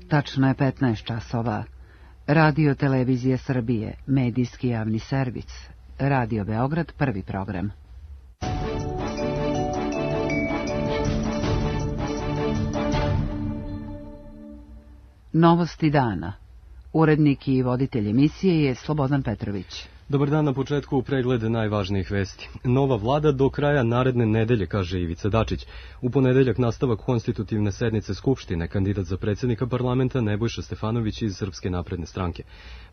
Tačno je 15 časova. Radio Televizije Srbije, medijski javni servis. Radio Beograd, prvi program. Novosti dana. Urednik i voditelj emisije je Slobodan Petrović. Dobar dan, na početku pregled najvažnijih vesti. Nova vlada do kraja naredne nedelje, kaže Ivica Dačić. U ponedeljak nastavak konstitutivne sednice Skupštine, kandidat za predsjednika parlamenta Nebojša Stefanović iz Srpske napredne stranke.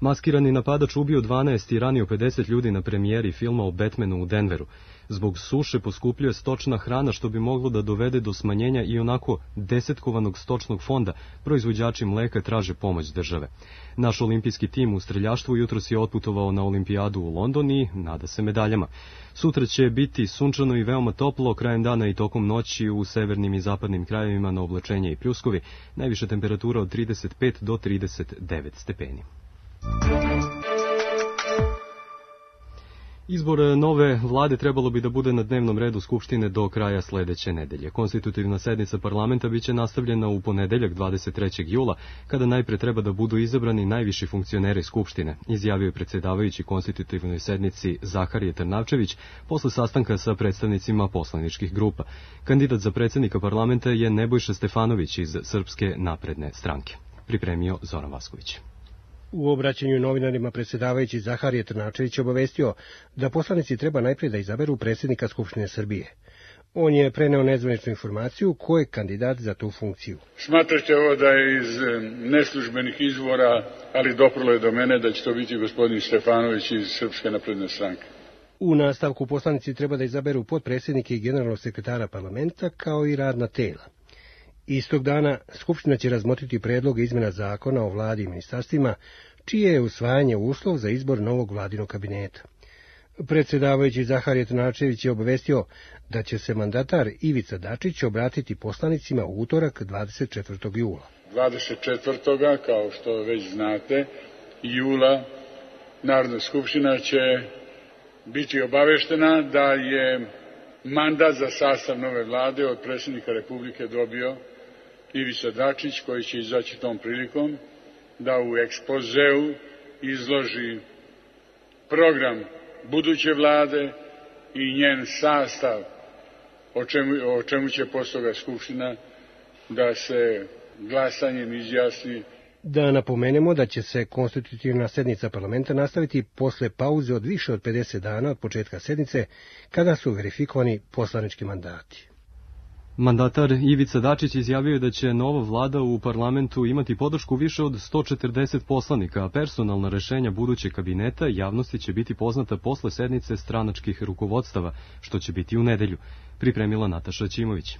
Maskirani napadač ubio 12 i ranio 50 ljudi na premijeri filma o Batmanu u Denveru. Zbog suše poskupljuje stočna hrana, što bi moglo da dovede do smanjenja i onako desetkovanog stočnog fonda. Proizvođači mleka traže pomoć države. Naš olimpijski tim u streljaštvu jutros je otputovao na olimpijadu u London i nada se medaljama. Sutra će biti sunčano i veoma toplo, krajem dana i tokom noći u severnim i zapadnim krajevima na oblačenje i pljuskovi. Najviša temperatura od 35 do 39 stepeni. Izbor nove vlade trebalo bi da bude na dnevnom redu Skupštine do kraja sledeće nedelje. Konstitutivna sednica parlamenta biće nastavljena u ponedeljak 23. jula, kada najpre treba da budu izabrani najviši funkcioneri Skupštine, izjavio je predsjedavajući konstitutivnoj sednici Zaharije Trnavčević posle sastanka sa predstavnicima poslaničkih grupa. Kandidat za predsjednika parlamenta je Nebojša Stefanović iz Srpske napredne stranke. Pripremio Zoran Vasković. U obraćanju novinarima predsjedavajući Zaharije Trnavčević obavestio da poslanici treba najprije da izaberu predsjednika Skupštine Srbije. On je preneo nezvaničnu informaciju ko je kandidat za tu funkciju. Smatraće ovo da je iz neslužbenih izvora, ali doprlo je do mene da će to biti gospodin Stefanović iz Srpske napredne stranke. U nastavku poslanici treba da izaberu potpredsjednike i generalnog sekretara parlamenta kao i radna tela. Istog dana Skupština će razmotriti predloge izmjena zakona o vladi i ministarstvima, čije je usvajanje uslov za izbor novog vladinog kabineta. Predsjedavajući Zaharije Trnavčević je obavestio da će se mandatar Ivica Dačić obratiti poslanicima u utorak 24. jula. 24. kao što već znate, jula Narodna skupština će biti obaveštena da je mandat za sastav nove vlade od predsjednika Republike dobio Ivica Dačić, koji će izaći tom prilikom da u ekspozeu izloži program buduće vlade i njen sastav, o čemu će posle toga Skupština da se glasanjem izjasni. Da napomenemo da će se konstitutivna sednica parlamenta nastaviti posle pauze od više od 50 dana od početka sednice, kada su verifikovani poslanički mandati. Mandatar Ivica Dačić izjavio je da će nova vlada u parlamentu imati podršku više od 140 poslanika, a personalna rešenja budućeg kabineta javnosti će biti poznata posle sednice stranačkih rukovodstava, što će biti u nedelju, pripremila Nataša Ćimović.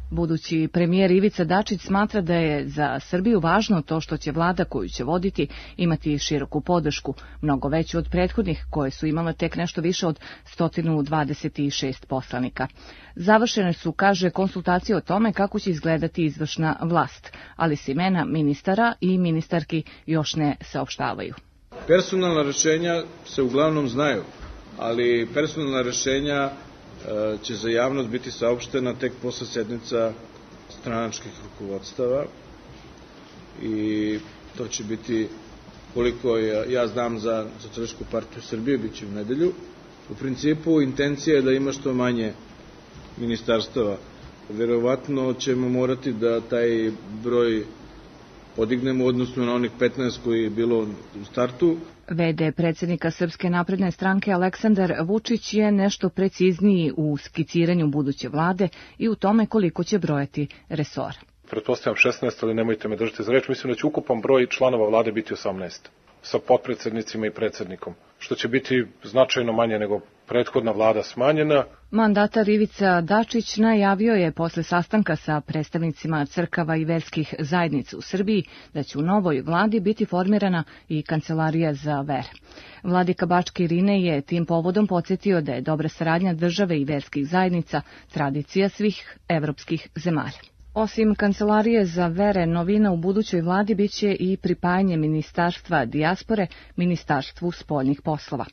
Budući premijer Ivica Dačić smatra da je za Srbiju važno to što će vlada koju će voditi imati široku podršku, mnogo veću od prethodnih koje su imale tek nešto više od 126 poslanika. Završene su, kaže, konsultacije o tome kako će izgledati izvršna vlast, ali se imena ministara i ministarki još ne saopštavaju. Personalna rešenja se uglavnom znaju, ali personalna rešenja će za javnost biti saopštena tek posle sednica stranačkih rukovodstava i to će biti, koliko ja znam za Socijalističku partiju Srbije, bit će u nedelju. U principu intencija je da ima što manje ministarstava. Verovatno ćemo morati da taj broj podignemo odnosno na onih 15 koji je bilo u startu. VD predsjednika Srpske napredne stranke Aleksandar Vučić je nešto precizniji u skiciranju buduće vlade i u tome koliko će brojati resora. Pretpostavljam 16, ali nemojte me držati za reč. Mislim da će ukupan broj članova vlade biti 18, sa potpredsednicima i predsjednikom, što će biti značajno manje nego prethodna vlada smanjena. Mandatar Ivica Dačić najavio je posle sastanka sa predstavnicima crkava i verskih zajednica u Srbiji da će u novoj vladi biti formirana i kancelarija za vere. Vladika Bačke Irine je tim povodom podsjetio da je dobra saradnja države i verskih zajednica tradicija svih evropskih zemalja. Osim kancelarije za vere, novina u budućoj vladi biće i pripajanje Ministarstva dijaspore Ministarstvu spoljnih poslova.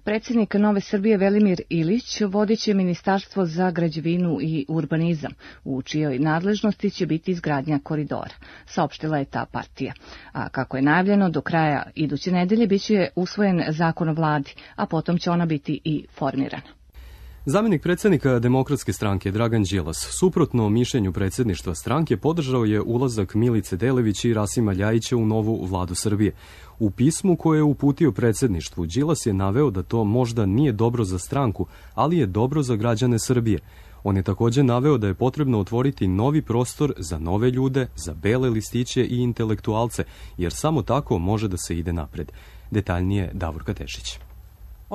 Predsjednik Nove Srbije Velimir Ilić vodit će Ministarstvo za građevinu i urbanizam, u čijoj nadležnosti će biti izgradnja koridora, saopštila je ta partija. A kako je najavljeno, do kraja iduće nedelje biće usvojen zakon o vladi, a potom će ona biti i formirana. Zamjenik predsjednika Demokratske stranke Dragan Đilas, suprotno mišljenju predsjedništva stranke, podržao je ulazak Milice Delević i Rasima Ljajića u novu vladu Srbije. U pismu koje je uputio predsjedništvu, Đilas je naveo da to možda nije dobro za stranku, ali je dobro za građane Srbije. On je također naveo da je potrebno otvoriti novi prostor za nove ljude, za bele listiće i intelektualce, jer samo tako može da se ide napred. Detaljnije Davorka Tešić.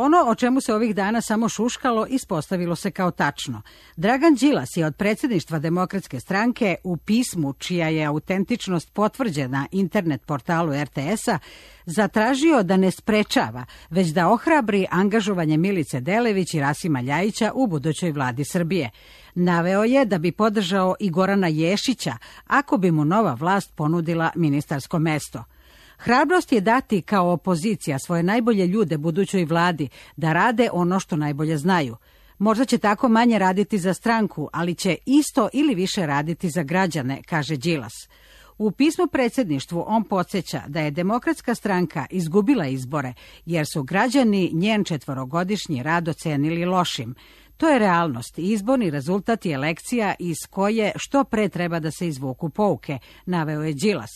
Ono o čemu se ovih dana samo šuškalo ispostavilo se kao tačno. Dragan Đilas je od predsjedništva Demokratske stranke u pismu, čija je autentičnost potvrđena internet portalu RTS-a, zatražio da ne sprečava, već da ohrabri angažovanje Milice Delević i Rasima Ljajića u budućoj vladi Srbije. Naveo je da bi podržao i Gorana Ješića ako bi mu nova vlast ponudila ministarsko mesto. Hrabrost je dati kao opozicija svoje najbolje ljude budućoj vladi da rade ono što najbolje znaju. Možda će tako manje raditi za stranku, ali će isto ili više raditi za građane, kaže Đilas. U pismu predsjedništvu on podsjeća da je Demokratska stranka izgubila izbore, jer su građani njen 4-godišnji rad ocenili lošim. To je realnost i izborni rezultat je lekcija iz koje što pre treba da se izvuku pouke, naveo je Đilas.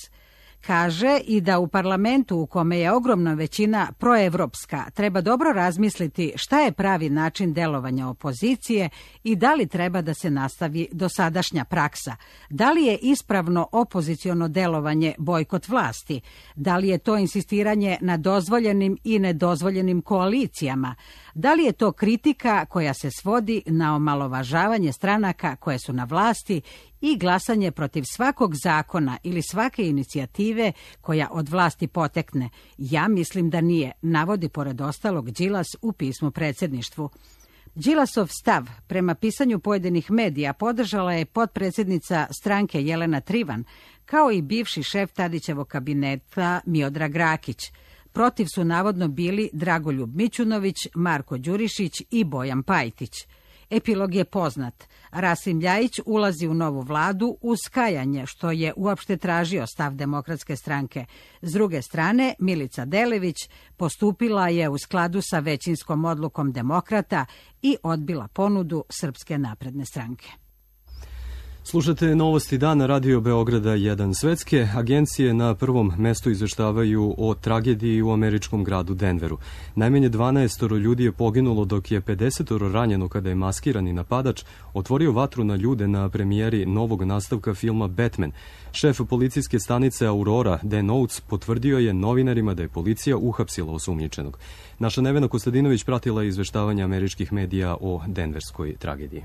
Kaže i da u parlamentu u kome je ogromna većina proevropska treba dobro razmisliti šta je pravi način delovanja opozicije i da li treba da se nastavi dosadašnja praksa. Da li je ispravno opoziciono delovanje bojkot vlasti? Da li je to insistiranje na dozvoljenim i nedozvoljenim koalicijama? Da li je to kritika koja se svodi na omalovažavanje stranaka koje su na vlasti i glasanje protiv svakog zakona ili svake inicijative koja od vlasti potekne? Ja mislim da nije, navodi pored ostalog Đilas u pismu predsjedništvu. Đilasov stav prema pisanju pojedinih medija podržala je potpredsjednica stranke Jelena Trivan, kao i bivši šef Tadićevog kabineta Miodrag Rakić. Protiv su navodno bili Dragoljub Mićunović, Marko Đurišić i Bojan Pajtić. Epilog je poznat. Rasim Ljajić ulazi u novu vladu uz kajanje, što je uopšte tražio stav Demokratske stranke. S druge strane, Milica Delević postupila je u skladu sa većinskom odlukom demokrata i odbila ponudu Srpske napredne stranke. Slušate novosti dana Radio Beograda 1. Svetske agencije na prvom mestu izveštavaju o tragediji u američkom gradu Denveru. Najmanje 12 ljudi je poginulo, dok je 50 ranjeno kada je maskirani napadač otvorio vatru na ljude na premijeri novog nastavka filma Batman. Šef policijske stanice Aurora, Dan Oates, potvrdio je novinarima da je policija uhapsila osumnjičenog. Naša Nevena Kostadinović pratila izveštavanje američkih medija o denverskoj tragediji.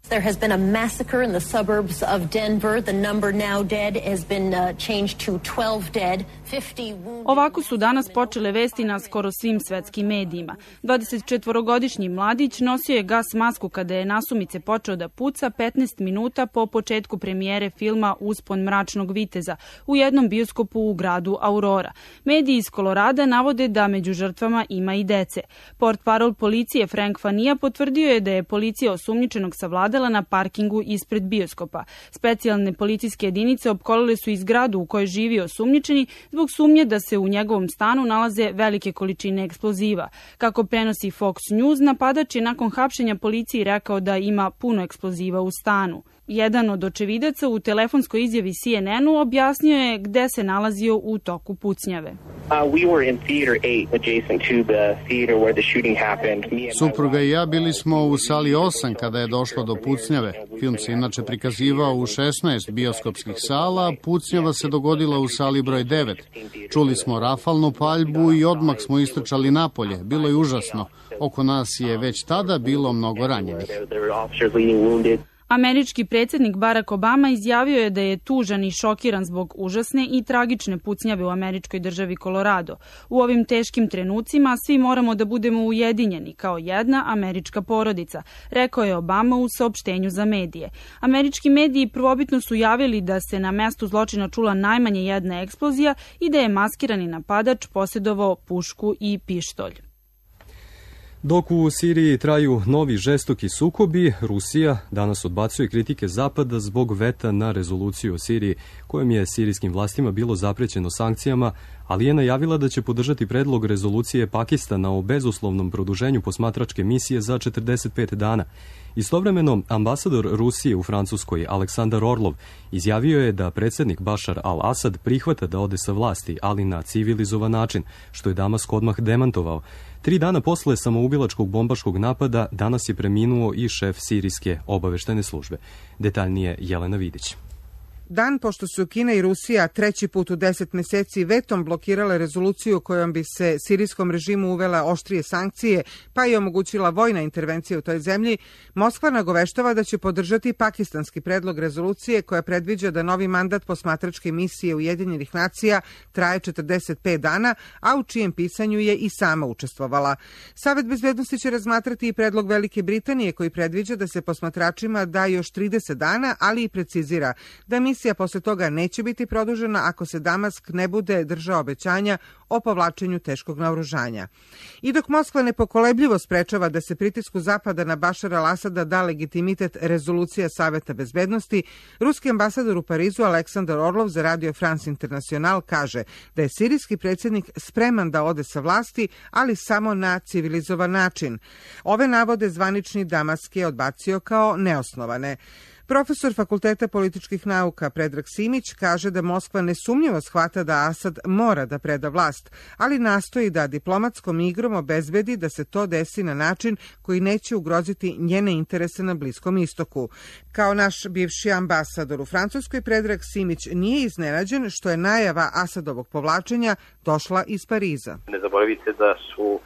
There has been a massacre in the suburbs of Denver. The number now dead has been changed to 12 dead, 50 wounded. Ovako su danas počele vesti na skoro svim svetskim medijima. 24-godišnji mladić nosio je gas masku kada je nasumice počeo da puca 15 minuta po početku premijere filma Uspon mračnog viteza u jednom bioskopu u gradu Aurora. Mediji iz Kolorada navode da među žrtvama ima i dece. Portparol policije Frank Fanija potvrdio je da je policija osumnjičenog savladala na parkingu ispred bioskopa. Specijalne policijske jedinice opkolile su i zgradu u kojoj živi osumnjičeni zbog sumnje da se u njegovom stanu nalaze velike količine eksploziva. Kako prenosi Fox News, napadač je nakon hapšenja policiji rekao da ima puno eksploziva u stanu. Jedan od očevidaca u telefonskoj izjavi CNN-u objasnio je gde se nalazio u toku pucnjave. Supruga i ja bili smo u sali 8 kada je došlo do pucnjave. Film se inače prikazivao u 16 bioskopskih sala, pucnjava se dogodila u sali broj 9. Čuli smo rafalnu paljbu i odmah smo istrčali napolje. Bilo je užasno. Oko nas je već tada bilo mnogo ranjenih. Američki predsjednik Barack Obama izjavio je da je tužan i šokiran zbog užasne i tragične pucnjave u američkoj državi Kolorado. U ovim teškim trenucima svi moramo da budemo ujedinjeni kao jedna američka porodica, rekao je Obama u saopštenju za medije. Američki mediji prvobitno su javili da se na mestu zločina čula najmanje jedna eksplozija i da je maskirani napadač posjedovao pušku i pištolj. Dok u Siriji traju novi žestoki sukobi, Rusija danas odbacuje kritike Zapada zbog veta na rezoluciju o Siriji, kojom je sirijskim vlastima bilo zaprećeno sankcijama, ali je najavila da će podržati predlog rezolucije Pakistana o bezuslovnom produženju posmatračke misije za 45 dana. Istovremeno, ambasador Rusije u Francuskoj, Aleksandar Orlov, izjavio je da predsjednik Bašar al-Asad prihvata da ode sa vlasti, ali na civilizovan način, što je Damask odmah demantovao. 3 dana posle samoubilačkog bombaškog napada danas je preminuo i šef sirijske obaveštene službe. Detaljnije Jelena Vidić. Dan pošto su Kina i Rusija 3. put u 10 meseci vetom blokirale rezoluciju kojom bi se sirijskom režimu uvela oštrije sankcije, pa i omogućila vojna intervencija u toj zemlji, Moskva nagoveštava da će podržati pakistanski predlog rezolucije koja predviđa da novi mandat posmatračke misije Ujedinjenih nacija traje 45 dana, a u čijem pisanju je i sama učestvovala. Savet bezbednosti će razmatrati i predlog Velike Britanije koji predviđa da se posmatračima da još 30 dana, ali i precizira da misija posle toga neće biti produžena ako se Damask ne bude držao obećanja o povlačenju teškog naoružanja. I dok Moskva nepokolebljivo sprečava da se pritisku Zapada na Bašara al-Asada da legitimitet rezolucija Saveta bezbednosti, ruski ambasador u Parizu Aleksandar Orlov za Radio France International kaže da je sirijski predsjednik spreman da ode sa vlasti, ali samo na civilizovan način. Ove navode zvanični Damask je odbacio kao neosnovane. Profesor Fakulteta političkih nauka Predrag Simić kaže da Moskva nesumnjivo shvata da Asad mora da preda vlast, ali nastoji da diplomatskom igrom obezbedi da se to desi na način koji neće ugroziti njene interese na Bliskom istoku. Kao naš bivši ambasador u Francuskoj, Predrag Simić nije iznenađen što je najava Asadovog povlačenja došla iz Pariza. Ne zaboravite da su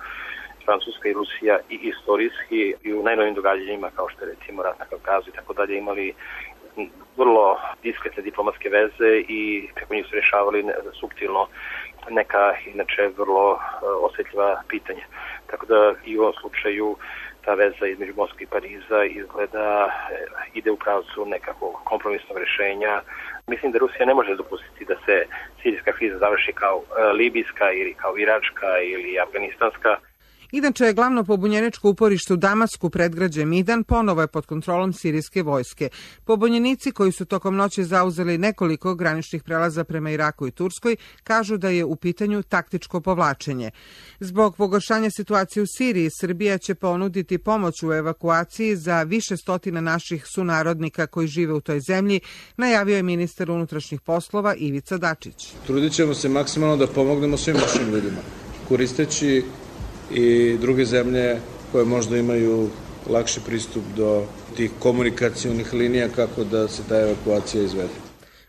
Francuska i Rusija i istorijski i u najnovim događanjima kao što je recimo rat na Kavkazu i tako dalje imali vrlo diskretne diplomatske veze i preko njih su rješavali suptilno neka inače vrlo osjetljiva pitanja. Tako da i u ovom slučaju ta veza između Moskve i Pariza izgleda ide u pravcu nekakvog kompromisnog rješenja. Mislim da Rusija ne može dopustiti da se sirijska kriza završi kao libijska ili kao iračka ili afganistanska. Inače, glavno pobunjeničko uporište u Damasku, predgrađe Midan, ponovo je pod kontrolom sirijske vojske. Pobunjenici koji su tokom noći zauzeli nekoliko graničnih prelaza prema Iraku i Turskoj kažu da je u pitanju taktičko povlačenje. Zbog pogoršanja situacije u Siriji, Srbija će ponuditi pomoć u evakuaciji za više stotina naših sunarodnika koji žive u toj zemlji, najavio je ministar unutrašnjih poslova Ivica Dačić. Trudit ćemo se maksimalno da pomognemo svim našim ljudima, koristeći i druge zemlje koje možda imaju lakši pristup do tih komunikacionih linija kako da se ta evakuacija izvede.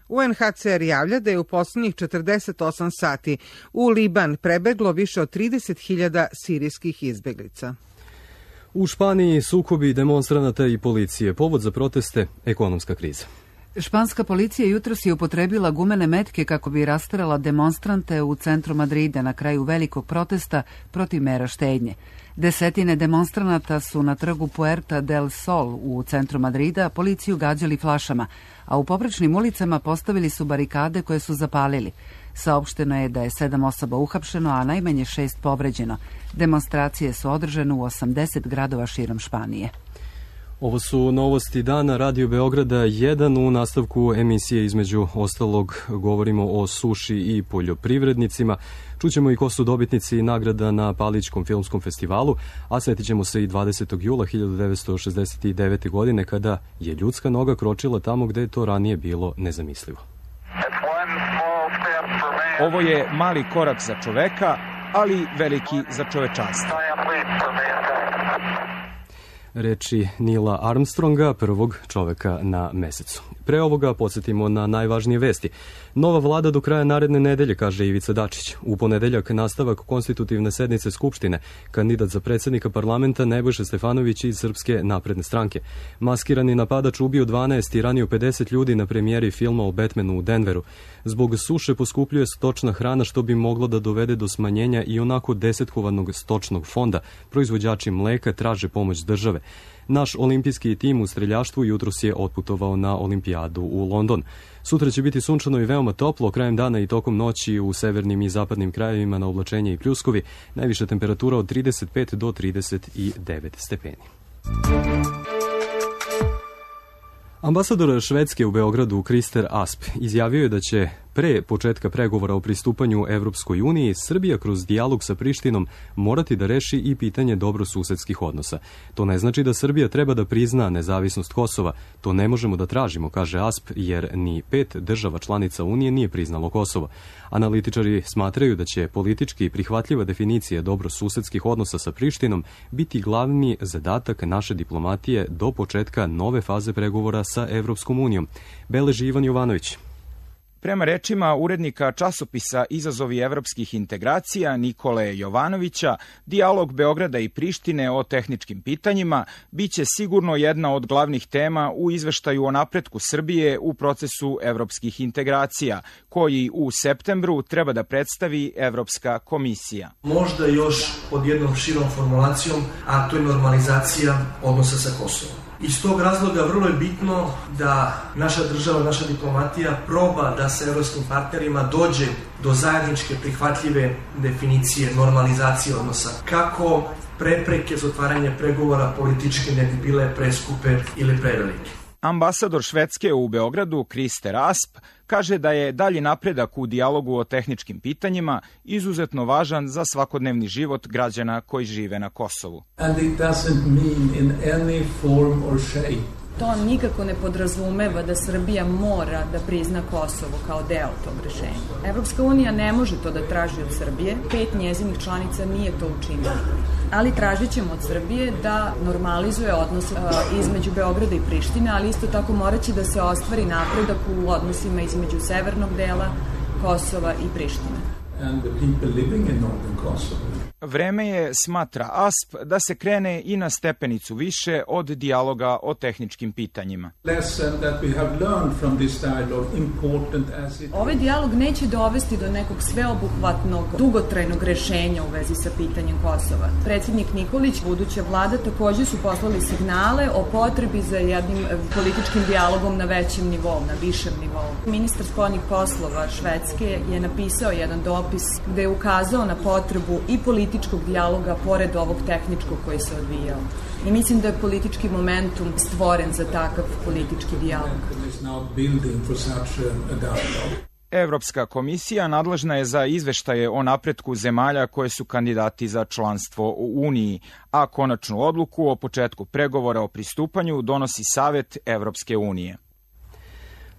UNHCR javlja da je u poslednjih 48 sati u Liban prebeglo više od 30.000 sirijskih izbeglica. U Španiji sukobi demonstranata i policije. Povod za proteste – ekonomska kriza. Španska policija jutros je upotrebila gumene metke kako bi rasterala demonstrante u centru Madrida na kraju velikog protesta protiv mera štednje. Desetine demonstranata su na trgu Puerta del Sol u centru Madrida policiju gađali flašama, a u poprečnim ulicama postavili su barikade koje su zapalili. Saopšteno je da je 7 osoba uhapšeno, a najmanje 6 povređeno. Demonstracije su održane u 80 gradova širom Španije. Ovo su novosti dana Radio Beograda 1. U nastavku emisije između ostalog govorimo o suši i poljoprivrednicima. Čućemo i ko su dobitnici nagrada na Palićkom filmskom festivalu, a sjetit ćemo se i 20. jula 1969. godine kada je ljudska noga kročila tamo gde je to ranije bilo nezamislivo. Ovo je mali korak za čoveka, ali veliki za čovečanstvo. Reči Nila Armstronga, prvog čoveka na mesecu. Pre ovoga podsjetimo na najvažnije vesti. Nova vlada do kraja naredne nedelje, kaže Ivica Dačić. U ponedeljak nastavak konstitutivne sednice Skupštine. Kandidat za predsjednika parlamenta Nebojša Stefanović iz Srpske napredne stranke. Maskirani napadač ubio 12 i ranio 50 ljudi na premijeri filma o Batmanu u Denveru. Zbog suše poskupljuje stočna hrana što bi moglo da dovede do smanjenja i onako desetkovanog stočnog fonda. Proizvođači mleka traže pomoć države. Naš olimpijski tim u streljaštvu jutros je otputovao na olimpijadu u London. Sutra će biti sunčano i veoma toplo, krajem dana i tokom noći u severnim i zapadnim krajevima na oblačenje i pljuskovi, najviša temperatura od 35 do 39 stepeni. Ambasador Švedske u Beogradu Krister Asp izjavio je da će pre početka pregovora o pristupanju Evropskoj uniji Srbija kroz dijalog sa Prištinom morati da reši i pitanje dobrosusedskih odnosa. To ne znači da Srbija treba da prizna nezavisnost Kosova. To ne možemo da tražimo, kaže Asp, jer ni 5 država članica Unije nije priznalo Kosovo. Analitičari smatraju da će politički prihvatljiva definicija dobrosusedskih odnosa sa Prištinom biti glavni zadatak naše diplomatije do početka nove faze pregovora sa Evropskom unijom. Beleži Ivan Jovanović. Prema rečima urednika časopisa Izazovi evropskih integracija Nikole Jovanovića, dijalog Beograda i Prištine o tehničkim pitanjima biće sigurno jedna od glavnih tema u izveštaju o napretku Srbije u procesu evropskih integracija, koji u septembru treba da predstavi Evropska komisija. Možda još pod jednom širom formulacijom, a to je normalizacija odnosa sa Kosovom. Iz tog razloga vrlo je bitno da naša država, naša diplomatija proba da sa evropskim partnerima dođe do zajedničke prihvatljive definicije normalizacije odnosa. Kako prepreke za otvaranje pregovora političke ne bi bile preskupe ili prevelike. Ambasador Švedske u Beogradu, Krister Asp, kaže da je dalji napredak u dijalogu o tehničkim pitanjima izuzetno važan za svakodnevni život građana koji žive na Kosovu. To nikako ne podrazumeva da Srbija mora da prizna Kosovo kao deo tog rešenja. Evropska unija ne može to da traži od Srbije, 5 njezinih članica nije to učinilo. Ali tražit ćemo od Srbije da normalizuje odnose između Beograda i Prištine, ali isto tako morat će da se ostvari napredak u odnosima između severnog dela Kosova i Prištine. Vreme je, smatra Asp, da se krene i na stepenicu više od dijaloga o tehničkim pitanjima. Ovaj dijalog neće dovesti do nekog sveobuhvatnog, dugotrajnog rešenja u vezi sa pitanjem Kosova. Predsjednik Nikolić, buduća vlada, također su poslali signale o potrebi za jednim političkim dijalogom na većem nivou, na višem nivou. Ministar spoljnih poslova Švedske je napisao jedan dopis gde je ukazao na potrebu i političkog dijaloga pored ovog tehničkog koji se odvijao. I mislim da je politički momentum stvoren za takav politički dijalog. Evropska komisija nadležna je za izveštaje o napretku zemalja koje su kandidati za članstvo u Uniji, a konačnu odluku o početku pregovora o pristupanju donosi Savet Evropske unije.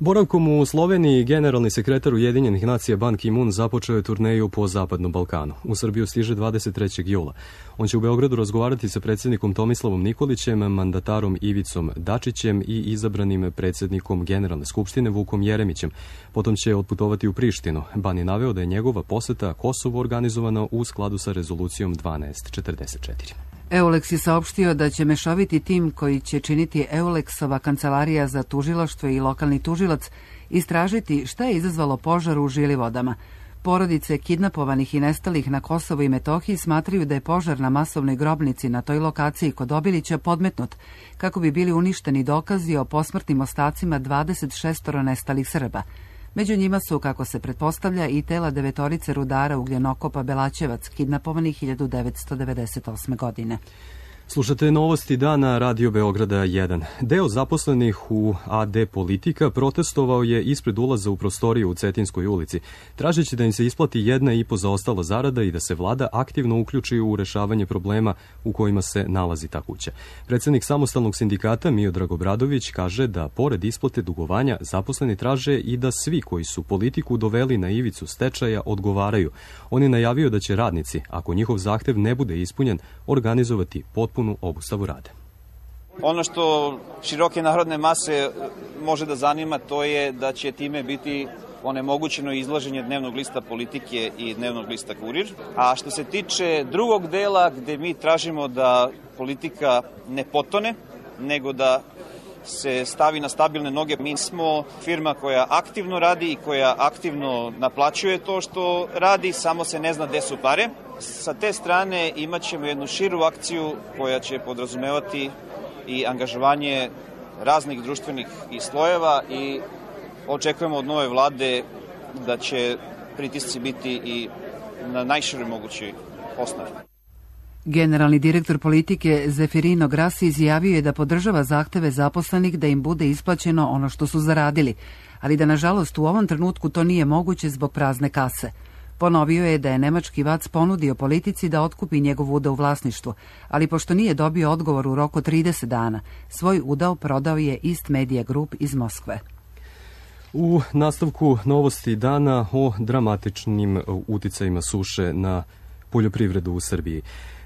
Boravkom u Sloveniji generalni sekretar Ujedinjenih nacija Ban Ki-moon započeo je turneju po Zapadnom Balkanu. U Srbiju stiže 23. jula. On će u Beogradu razgovarati sa predsjednikom Tomislavom Nikolićem, mandatarom Ivicom Dačićem i izabranim predsjednikom Generalne skupštine Vukom Jeremićem. Potom će otputovati u Prištinu. Ban je naveo da je njegova poseta Kosovu organizovana u skladu sa rezolucijom 1244. EULEX je saopštio da će mešoviti tim koji će činiti EULEX-ova kancelarija za tužilaštvo i lokalni tužilac istražiti šta je izazvalo požar u Žilivodama. Porodice kidnapovanih i nestalih na Kosovu i Metohiji smatraju da je požar na masovnoj grobnici na toj lokaciji kod Obilića podmetnut, kako bi bili uništeni dokazi o posmrtnim ostacima 26 nestalih Srba. Među njima su, kako se pretpostavlja, i tela 9 rudara ugljenokopa Belaćevac, kidnapovanih 1998. godine. Slušate novosti dana Radio Beograda 1. Deo zaposlenih u AD Politika protestovao je ispred ulaza u prostoriju u Cetinskoj ulici, tražeći da im se isplati 1,5 zaostala zarada i da se vlada aktivno uključi u rešavanje problema u kojima se nalazi ta kuća. Predsjednik samostalnog sindikata Miodrag Obradović kaže da pored isplate dugovanja zaposleni traže i da svi koji su politiku doveli na ivicu stečaja odgovaraju. On je najavio da će radnici, ako njihov zahtev ne bude ispunjen, organizovati potpuno obustavu rada. Ono što široke narodne mase može da zanima, to je da će time biti onemogućeno izlaženje dnevnog lista Politike i dnevnog lista Kurir. A što se tiče drugog dela, gde mi tražimo da Politika ne potone, nego da se stavi na stabilne noge. Mi smo firma koja aktivno radi i koja aktivno naplaćuje to što radi, samo se ne zna gde su pare. Sa te strane imat ćemo jednu širu akciju koja će podrazumevati i angažovanje raznih društvenih i slojeva i očekujemo od nove vlade da će pritisci biti i na najširoj mogućoj osnovi. Generalni direktor politike Zefirino Grassi izjavio je da podržava zahteve zaposlenih da im bude isplaćeno ono što su zaradili, ali da nažalost u ovom trenutku to nije moguće zbog prazne kase. Ponovio je da je nemački VAC ponudio politici da otkupi njegov udeo u vlasništvu, ali pošto nije dobio odgovor u roku 30 dana, svoj udeo prodao je East Media Group iz Moskve. U nastavku novosti dana o dramatičnim uticajima suše na poljoprivredu u Srbiji.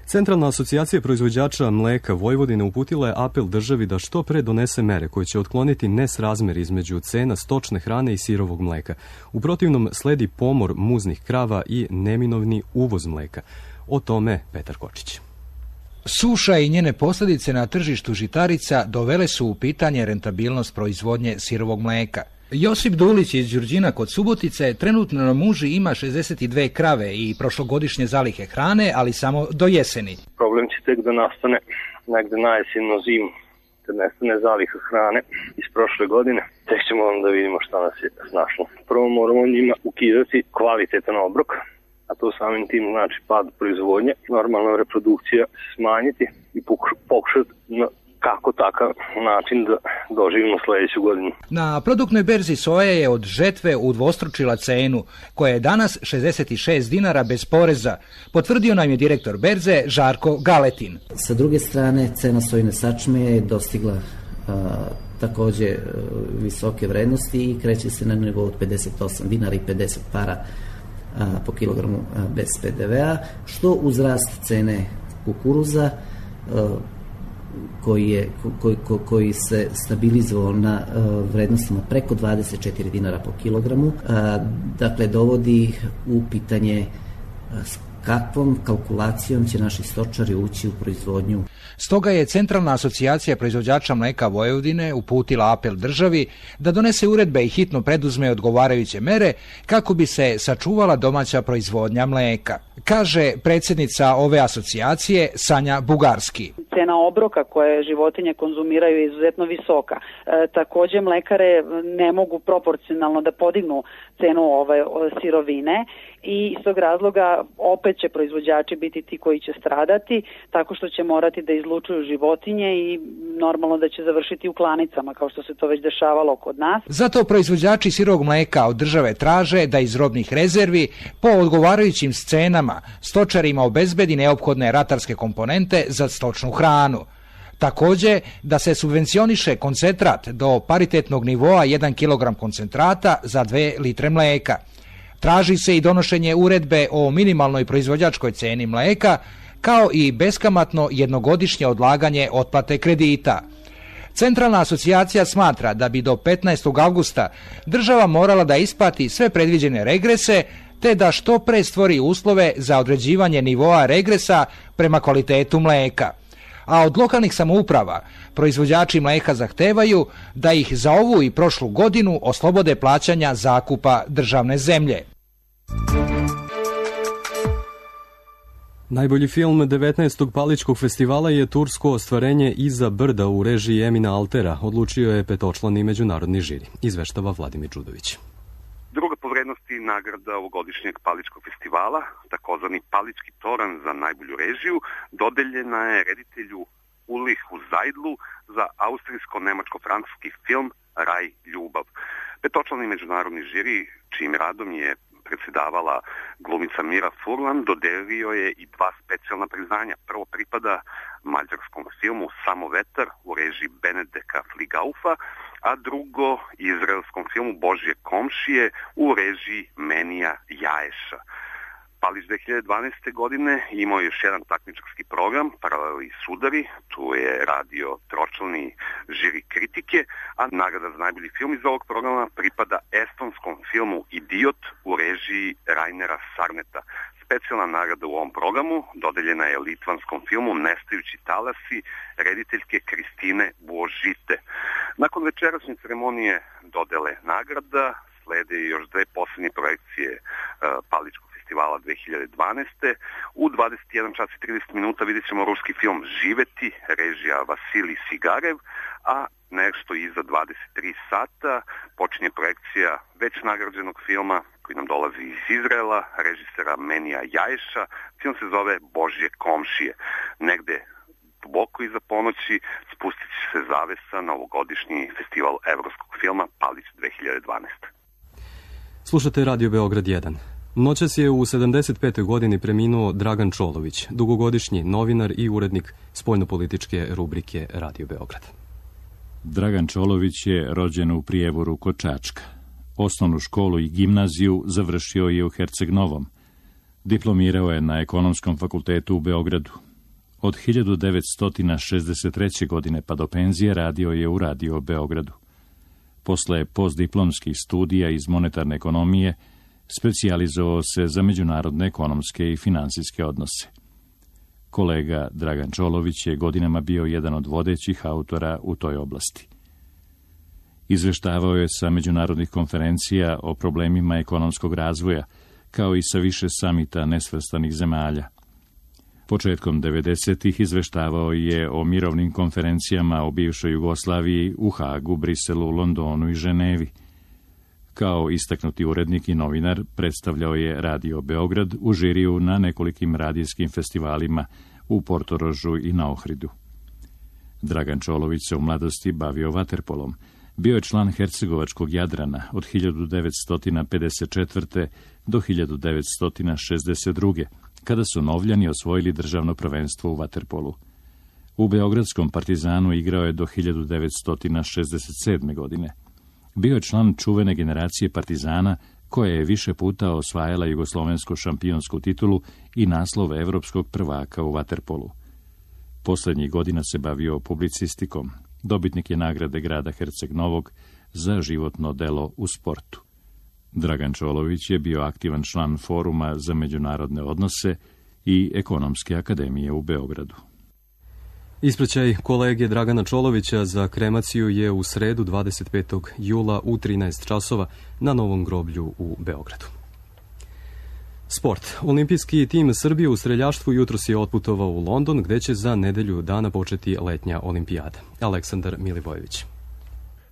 Centralna asocijacija proizvođača mleka Vojvodine uputila je apel državi da što pre donese mere koje će otkloniti nesrazmer između cena stočne hrane i sirovog mleka. U protivnom sledi pomor muznih krava i neminovni uvoz mleka. O tome Petar Kočić. Suša i njene posljedice na tržištu žitarica dovele su u pitanje rentabilnost proizvodnje sirovog mleka. Josip Dulić iz Đurđina kod Subotice trenutno na muži ima 62 krave i prošlogodišnje zalihe hrane, ali samo do jeseni. Problem će tek da nastane negde na jesenju zimu, kad nestane zaliha hrane iz prošle godine. Tek ćemo onda vidimo šta nas je snašlo. Prvo moramo njima ukidati kvalitetan obrok, a to samim tim znači pad proizvodnje, normalna reprodukcija smanjiti i pokušati na kako takav način da doživimo sljedeću godinu. Na produktnoj berzi soja je od žetve udvostručila cenu, koja je danas 66 dinara bez poreza, potvrdio nam je direktor berze Žarko Galetin. Sa druge strane, cena sojine sačme je dostigla također visoke vrednosti i kreće se na nivou od 58 dinara i 50 para po kilogramu bez PDV-a, što uz rast cene kukuruza koji se stabilizovao na vrednostima preko 24 dinara po kilogramu, dakle dovodi u pitanje s kakvom kalkulacijom će naši stočari ući u proizvodnju. Stoga je Centralna asocijacija proizvođača mleka Vojvodine uputila apel državi da donese uredbe i hitno preduzme odgovarajuće mere kako bi se sačuvala domaća proizvodnja mleka, kaže predsjednica ove asocijacije Sanja Bugarski. Cena obroka koje životinje konzumiraju je izuzetno visoka. Također mlekare ne mogu proporcionalno da podignu cenu ove sirovine i iz tog razloga opet će proizvođači biti ti koji će stradati tako što će morati da izlučuju životinje i normalno da će završiti u klanicama kao što se to već dešavalo kod nas. Zato proizvođači sirovog mleka od države traže da iz robnih rezervi po odgovarajućim cenama stočarima obezbedi neophodne ratarske komponente za stočnu hranu. Također da se subvencioniše koncentrat do paritetnog nivoa 1 kg koncentrata za 2 litre mleka. Traži se i donošenje uredbe o minimalnoj proizvođačkoj ceni mleka, kao i beskamatno jednogodišnje odlaganje otplate kredita. Centralna asocijacija smatra da bi do 15. avgusta država morala da isplati sve predviđene regrese, te da što pre stvori uslove za određivanje nivoa regresa prema kvalitetu mleka. A od lokalnih samouprava proizvođači mleka zahtevaju da ih za ovu i prošlu godinu oslobode plaćanja zakupa državne zemlje. Najbolji film 19. Paličkog festivala je tursko ostvarenje Iza brda u režiji Emina Altera, odlučio je petočlani međunarodni žiri, izveštava Vladimir Đudović. Druga po vrednosti nagrada ovogodišnjeg Paličkog festivala, takozvani Palički toran za najbolju režiju, dodeljena je reditelju Ulrichu Zajdlu za austrijsko-nemačko-francuski film Raj ljubav. Petočlani međunarodni žiri, čijim radom je predsjedavala glumica Mira Furlan, dodelio je i 2 specijalna priznanja. Prvo pripada mađarskom filmu Samo vetar u režiji Benedeka Fligaufa, a drugo izraelskom filmu Božje komšije u režiji Menija Jaeša. Palić 2012. godine imao još jedan takmičarski program, Paraleli sudari, tu je radio tročlani žiri kritike, a nagrada za najbolji film iz ovog programa pripada estonskom filmu Idiot u režiji Rainera Sarneta. Specijalna nagrada u ovom programu dodeljena je litvanskom filmu Nestajući talasi rediteljke Kristine Božite. Nakon večerašnje ceremonije dodele nagrada slede još 2 posljednje projekcije Paličkog festivala. festivala 2012. U 21 čas i 30 minuta vidjet ćemo ruski film Živeti, režija Vasilij Sigarev, a nešto iza 23 sata počinje projekcija već nagrađenog filma koji nam dolazi iz Izraela, režisera Menija Jajša. Film se zove Božje komšije. Negde duboko iza ponoći spustit će se zavesa na ovogodišnji festival evropskog filma Palić 2012. Slušate Radio Beograd 1. Noćas je u 75. godini preminuo Dragan Čolović, dugogodišnji novinar i urednik spoljnopolitičke rubrike Radio Beograd. Dragan Čolović je rođen u Prijevoru kod Čačka. Osnovnu školu i gimnaziju završio je u Herceg Novom. Diplomirao je na Ekonomskom fakultetu u Beogradu. Od 1963. godine pa do penzije radio je u Radio Beogradu. Posle postdiplomskih studija iz monetarne ekonomije, specijalizovao se za međunarodne ekonomske i finansijske odnose. Kolega Dragan Čolović je godinama bio jedan od vodećih autora u toj oblasti. Izveštavao je sa međunarodnih konferencija o problemima ekonomskog razvoja, kao i sa više samita nesvrstanih zemalja. Početkom 90-ih izveštavao je o mirovnim konferencijama o bivšoj Jugoslaviji u Hagu, Briselu, Londonu i Ženevi. Kao istaknuti urednik i novinar predstavljao je Radio Beograd u žiriju na nekolikim radijskim festivalima u Portorožu i na Ohridu. Dragan Čolović se u mladosti bavio vaterpolom. Bio je član hercegovačkog Jadrana od 1954. do 1962. kada su Novljani osvojili državno prvenstvo u vaterpolu. U Beogradskom Partizanu igrao je do 1967. godine. Bio je član čuvene generacije Partizana koja je više puta osvajala jugoslovensku šampionsku titulu i naslov evropskog prvaka u vaterpolu. Poslednjih godina se bavio publicistikom. Dobitnik je nagrade grada Herceg Novog za životno delo u sportu. Dragan Čolović je bio aktivan član Foruma za međunarodne odnose i Ekonomske akademije u Beogradu. Ispraćaj kolege Dragana Čolovića za kremaciju je u sredu 25. jula u 13 časova na Novom groblju u Beogradu. Sport. Olimpijski tim Srbije u streljaštvu jutros je otputovao u London, gde će za nedelju dana početi letnja olimpijada. Aleksandar Milivojević.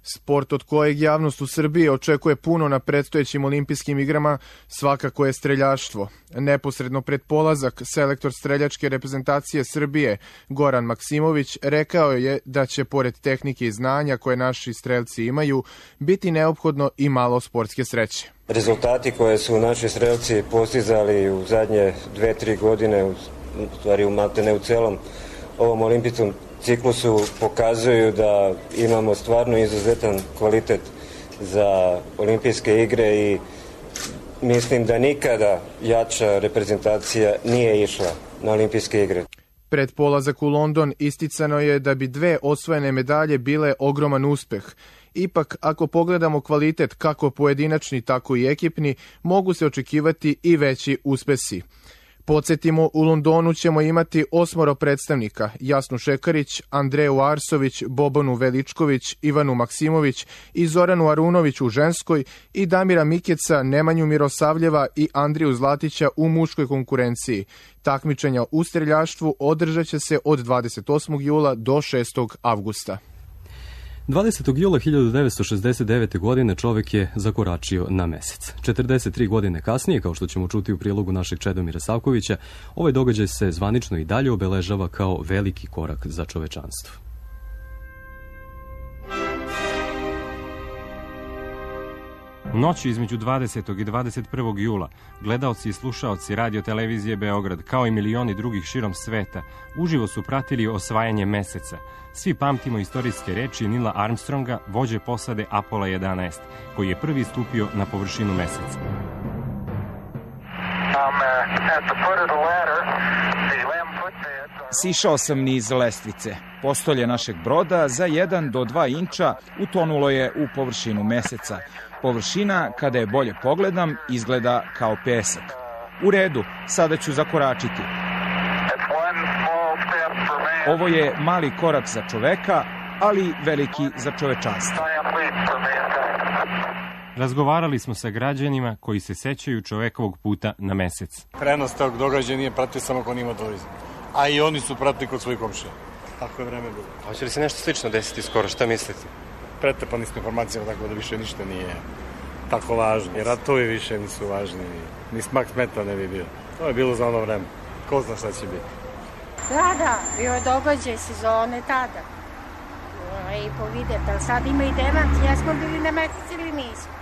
Sport od kojeg javnost u Srbiji očekuje puno na predstojećim olimpijskim igrama svakako je streljaštvo. Neposredno pred polazak selektor streljačke reprezentacije Srbije Goran Maksimović rekao je da će pored tehnike i znanja koje naši strelci imaju biti neophodno i malo sportske sreće. Rezultati koje su naši strelci postizali u zadnje 2-3 godine, u stvari maltene u celom ovom olimpijskom ciklusu pokazuju da imamo stvarno izuzetan kvalitet za olimpijske igre i mislim da nikada jača reprezentacija nije išla na olimpijske igre. Pred polazak u London isticano je da bi 2 osvojene medalje bile ogroman uspeh. Ipak, ako pogledamo kvalitet kako pojedinačni, tako i ekipni, mogu se očekivati i veći uspesi. Podsjetimo, u Londonu ćemo imati 8 predstavnika: Jasnu Šekarić, Andreju Arsović, Bobanu Veličković, Ivanu Maksimović i Zoranu Arunović u ženskoj i Damira Mikeca, Nemanju Mirosavljeva i Andriju Zlatića u muškoj konkurenciji. Takmičenja u streljaštvu održat će se od 28. jula do 6. avgusta. 20. jula 1969. godine čovek je zakoračio na mesec. 43 godine kasnije, kao što ćemo čuti u prilogu našeg Čedomira Savkovića, ovaj događaj se zvanično i dalje obeležava kao veliki korak za čovečanstvo. Noću između 20. i 21. jula gledaoci i slušaoci radio televizije Beograd, kao i milioni drugih širom sveta, uživo su pratili osvajanje meseca. Svi pamtimo istorijske reči Nila Armstronga, vođe posade Apollo 11, koji je prvi stupio na površinu meseca. Sišao sam niz lestvice. Postolje našeg broda za 1 do 2 inča utonulo je u površinu meseca. Površina, kada je bolje pogledam, izgleda kao pesak. U redu, sada ću zakoračiti. Ovo je mali korak za čoveka, ali veliki za čovečanstvo. Razgovarali smo sa građanima koji se sećaju čovekovog puta na mesec. Prenos tog događaja nije pratio samo ko nima turizam, a i oni su pratili kod svojih komšija. Tako je vreme bilo. Hoće li se nešto slično desiti skoro, šta mislite? Pretrpani smo informacijama, tako da više ništa nije tako važno. I ratovi više nisu važni, ni smak smeta ne bi bio. To je bilo za ono vreme. Ko zna šta će biti? Da, bio je događaj sezone tada. I povidete, ali sad ima i demant, jesmo bili na meseci ili nismo.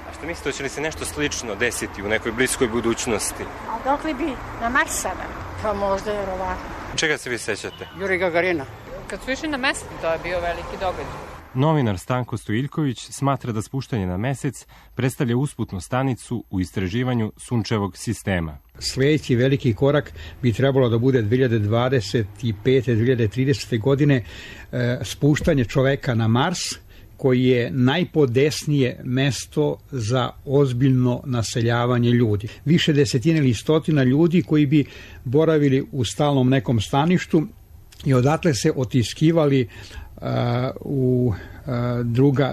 A što mislite, hoće li se nešto slično desiti u nekoj bliskoj budućnosti? A dok li bi na Mars sada? Pa možda je verovatno. Čega se vi sećate? Juri Gagarina. Kad su išli na mesec, to je bio veliki događaj. Novinar Stanko Stojiljković smatra da spuštanje na mesec predstavlja usputnu stanicu u istraživanju sunčevog sistema. Sljedeći veliki korak bi trebalo da bude 2025. 2030. godine spuštanje čoveka na Mars, koji je najpodesnije mesto za ozbiljno naseljavanje ljudi. Više desetina ili stotina ljudi koji bi boravili u stalnom nekom staništu i odatle se otiskivali u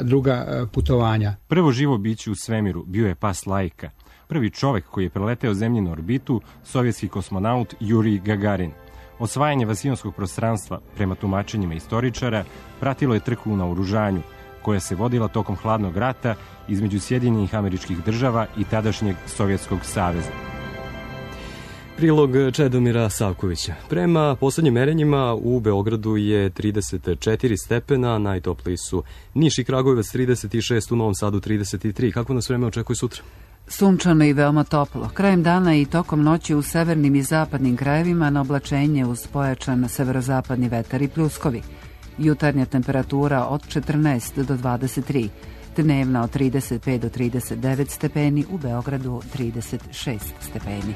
druga putovanja. Prvo živo biće u svemiru bio je pas Lajka. Prvi čovek koji je preleteo zemljinu orbitu, sovjetski kosmonaut Juri Gagarin. Osvajanje vasijonskog prostranstva, prema tumačenjima istoričara, pratilo je trku u naoružanju, koja se vodila tokom hladnog rata između Sjedinjenih Američkih Država i tadašnjeg Sovjetskog saveza. Prilog Čedomira Savkovića. Prema poslednjim merenjima u Beogradu je 34 stepena, najtopliji su Niš i Kragujevac 36, u Novom Sadu 33. Kako nas vreme očekuje sutra? Sunčano i veoma toplo. Krajem dana i tokom noći u severnim i zapadnim krajevima na oblačenje uz pojačan severozapadni vetar i pljuskovi. Jutarnja temperatura od 14 do 23, dnevna od 35 do 39 stepeni, u Beogradu 36 stepeni.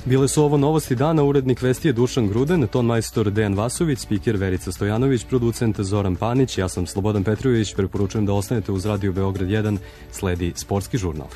Bile su ovo novosti dana, urednik vesti je Dušan Gruden, ton majstor Dejan Vasović, spiker Verica Stojanović, producent Zoran Panić, ja sam Slobodan Petrović, preporučujem da ostanete uz Radio Beograd 1, sledi sportski žurnal.